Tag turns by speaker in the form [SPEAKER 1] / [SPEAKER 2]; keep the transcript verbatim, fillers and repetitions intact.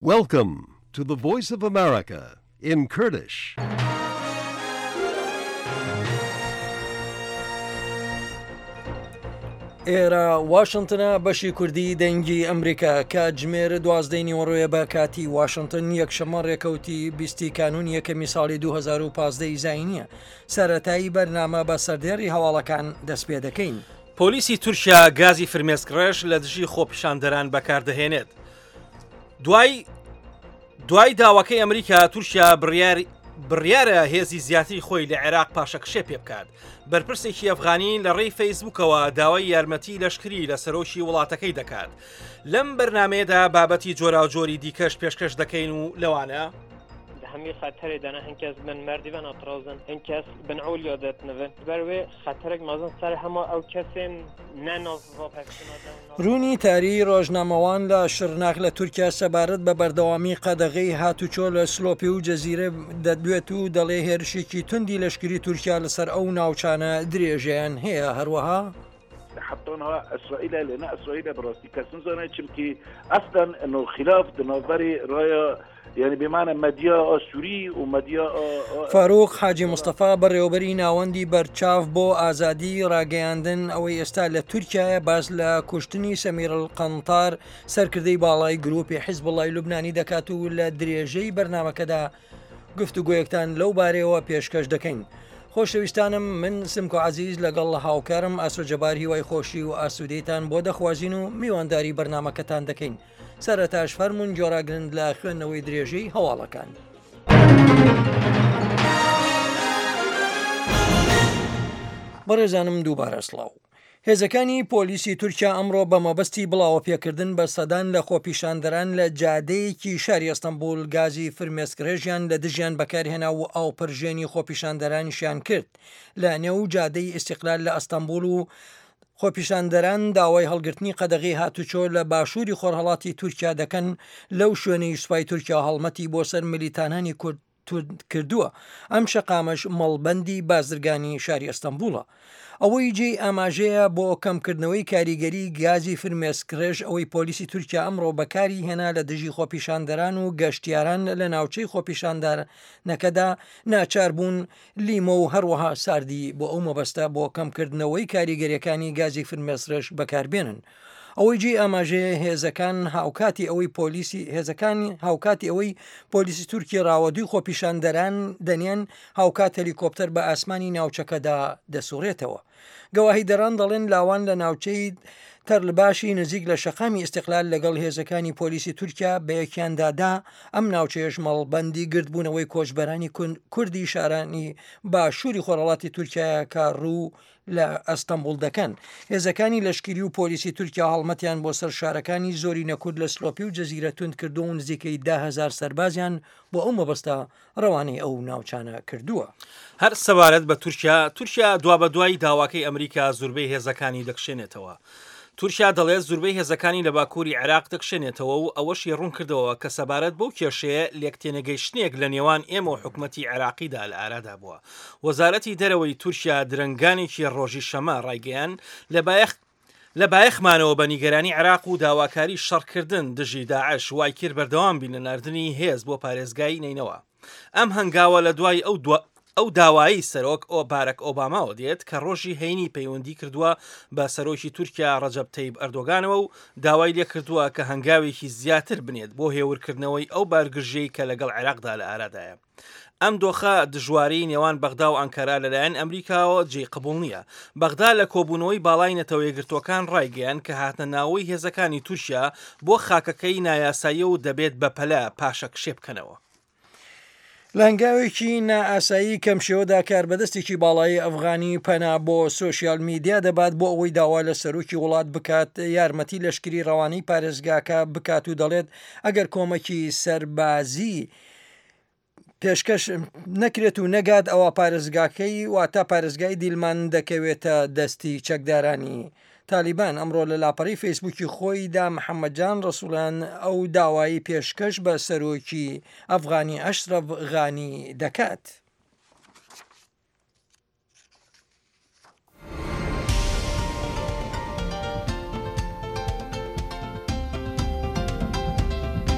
[SPEAKER 1] Welcome to the Voice of America in Kurdish.
[SPEAKER 2] ئێرە واشنتنە بەشی کوردی دەنگی ئەمریکا کاتژمێر دوازدەی نیوەڕۆیە بە کاتی واشنتن یەکشەممە ڕێکەوتی بیستی کانوون یەکەمی ساڵی دوو هەزار و پازدە ی زاینیە سەرەتایی بەرنامە بە سەردێڕی هەواڵەکان دەست پێ دەکەین.
[SPEAKER 3] پۆلیسی تورکیا گازی فرمێسکڕێژ لە دژی خۆپیشاندەران بەکاردەهێنێت. دوای دوای داواکەی ئەمریکا تورکیا بڕیار بڕیارە هێزی زیاتری خۆی لە عێراق پاشەکشێ پێ بکات. بەرپرسێکی ئەفغانی لە ڕێی فەیسبوکەوە داوای یارمەتی لەشکری لە سەرۆکی وڵاتەکەی دەکات. لەم بەرنمەیەدا بابەتی جۆراوجۆری دیکەش پێشکەش دەکەین و لەوانە
[SPEAKER 4] هەمی خەتەرێ دەنە هەن کەس بن مردی بن ئەترازن هەن کەس بن عولیا دەتنەوە بەروێ خەتەرێک مەزن سەر هەموو ئەو کەسێن نەناو
[SPEAKER 2] ڕوونی تاری ڕۆژنامەوان لە شرناخ لە تورکیا سەبارەت بە بەردەوامی قەدەغەی هاتوچۆ لە سلۆپی و جەزیرە دەدوێت و دەڵێ هێرشێکی توندی لەشکری تورکیا لەسەر ئەو ناوچانە درێژەیان هەیە. هەروەها
[SPEAKER 5] حتى انها اسرائيل لان اسرائيل براستي كسن زانه چمكي اصلا انه خلاف دنافري رايه يعني بمعنى مدیا سوری و مدیا
[SPEAKER 2] فاروق حاجی مستەفا بەڕێوەبەری ناوەندی بەرچاو بۆ ئازادی ڕاگەیاندن ئەوەی ئێستا لە تورکیایە باس لە کوشتنی سەمیر القەنتار سەرکردەی باڵای گروپی حیزبوڵای لوبنانی دەکات و لە درێژەی بەرنامەکەدا گفتوگۆیەکتان لەو بارەیەوە پێشکەش دەکەین. خۆشەویستانم من سمکۆ عەزیز لەگەڵ هاوکارم ئاسۆ جەبار هیوای خۆشی و ئاسوودەیتان بۆ دەخوازین و میوانداری بەرنامەکەتان دەکەین. سەرەتاش فەرمونون جۆراگرند لە خوێندنەوەی درێژەی هەواڵەکان. بەڕێزانم دووبارە سڵاو. هێزەکانی پۆلیسی تورکیا ئەمڕۆ بە مەبەستی بڵاوەپێکردن بە سەدان لە خۆپیشاندەران لە جادەیەکی شاری ئەستەنبوڵ گازی فرمێسکڕێژیان لە دژیان بەکارهێنا و ئاوپەرژێنی خۆپیشاندەرانیشیان کرد لە نێو جادەی ئیستیقلال لە ئەستەنبوڵ و خۆپیشاندەران داوای هەڵگرتنی قەدەغی هاتوچۆ لە باشووری خۆرهەڵاتی تورکیا دەکەن لەو شوێنەی سوپای تورکیا هەڵمەتی بۆ سەر ملیتانانی کورد کردووە. ئەم شەقامەش مەڵبەندی بازرگانی شاری ئەستەنبوڵە. ئەوەی جێی ئاماژەیە بۆ کەمکردنەوەی کاریگەری گازی فرمێسکڕێژ ئەوەی پۆلیسی تورکیا ئەمڕۆ بەکاری هێنا لە دژی خۆپیشاندەران و گەشتیاران لە ناوچەی خۆپیشاندارنەکەدا ناچار بوون لیمۆ و هەروەها ساردی بۆ ئەو مەبەستە بۆ کەمکردنەوەی کاریگەریەکانی گازی فرمێسکڕێژ بەکاربێنن. ئەوەی جێی ئاماژەیە هێزەکان هاوکاتی ئەوەی پۆلیسی هێزەکانی هاوکاتی ئەوەی پۆلیسی تورکی ڕاوەدووی خۆپیشاندەران دەنێن هاوکات هەلیکۆپتەر بە ئاسمانی ناوچەکەدا دەسوڕێتەوە. گەواهیدەران دەڵێن لاوان لە ناوچەی تەرلباشی نزیک لە شەقامی ئیستیقلال لەگەڵ هێزەکانی پۆلیسی تورکیا بە یەکیاندادا ئەم ناوچەیەش مەڵبەندی گردبوونەوەی کۆچبەرانی کوردی شارانی باشووری خۆرهەڵاتی تورکیایە کە ڕوو لە ئەستەنبوڵ دەکەن. هێزەکانی لەشکری و پۆلیسی تورکیا هەڵمەتیان بۆ سەر شارەکانی زۆری نەکورد لە سلۆپی و جەزیرە توند کردووە و نزیکەی ده هەزار سەربازیان بۆ ئەو مەبەستە ڕەوانەی ئەو ناوچانە کردووە.
[SPEAKER 3] هەر سەبارەت بە تورکیا، تورکیا دوابەدوای داواکەی ئەمریکا زوربەی هێزەکانی دەکشێنێتەوە. تورکیا دەڵێت زوربەی هێزەکانی لە باکووری عێراق دەکشێنێتەوە و ئەوەشی ڕوون کردەوە کە سەبارەت بەو کێشەیە لێکتێنەگەیشتنێک لە نێوان ئێمە و حکومەتی عێراقیدا لە ئارادا بووە. وەزارەتی دەرەوەی تورکیا درەنگانێکی ڕۆژی شەمە ڕایگەیان لە بایەخ لە بایەخمانەوە بە نیگەرانی عێراق و داواکاری شەڕکردن دژی داعش وای کرد بەردەوام بین لە ناردنی هێز بۆ پارێزگای نەینەوا. ئەم هەنگاوە لە دوای ئەو ئەو داوایی سەرۆک ئۆ بارەک ئۆباماوە دێت کە ڕۆژی هەینی پەیوەندی کردووە بە سەرۆکی تورکیا ڕەجەب تەیب ئەردۆگانەوە و داوای لێکردووە کە هەنگاوێکی زیاتر بنێت بۆ هێورکردنەوەی ئەو بارگرژیەی کە لەگەڵ عێراقدا لە ئارادایە. ئەم دۆخە دژواری نێوان بەغدا و ئەنکەرا لەلایەن ئەمریکاوە جێی قبوڵ نییە. بەغدا لە کۆبوونەوەی باڵای نەتەوە یەکگرتووەکان ڕایگەیان کە هاتنە ناوەی هێزەکانی تورکیا بۆ خاکەکەی نایاساییە و دەبێت بەپەلە پاشەکشێ بکەنەوە.
[SPEAKER 2] لە هەنگاوێکی نائاسایی کەمشێوەدا کاربەدەستێکی باڵایی ئەفغانی پەنا بۆ سۆشیال میدیا دەبات بۆ ئەوەی داوا لە سەرۆکی وڵات بکات یارمەتی لەشکری ڕەوانەی پارێزگاکە بکات و دەڵێت ئەگەر کۆمەکی سەربازی پێشکەش نەکرێت و نەگات ئەوە پارێزگاکەی واتە پارێزگای دیلمان دەکەوێتە دەستی چەکدارانی تالیبان. ئەمڕۆ لە لاپەڕی فەیسبووکی خۆیدا محەممەد جان ڕەسوڵان ئەو داوایی پێشکەش بە سەرۆکی ئەفغانی ئەشرەف غانی دەکات.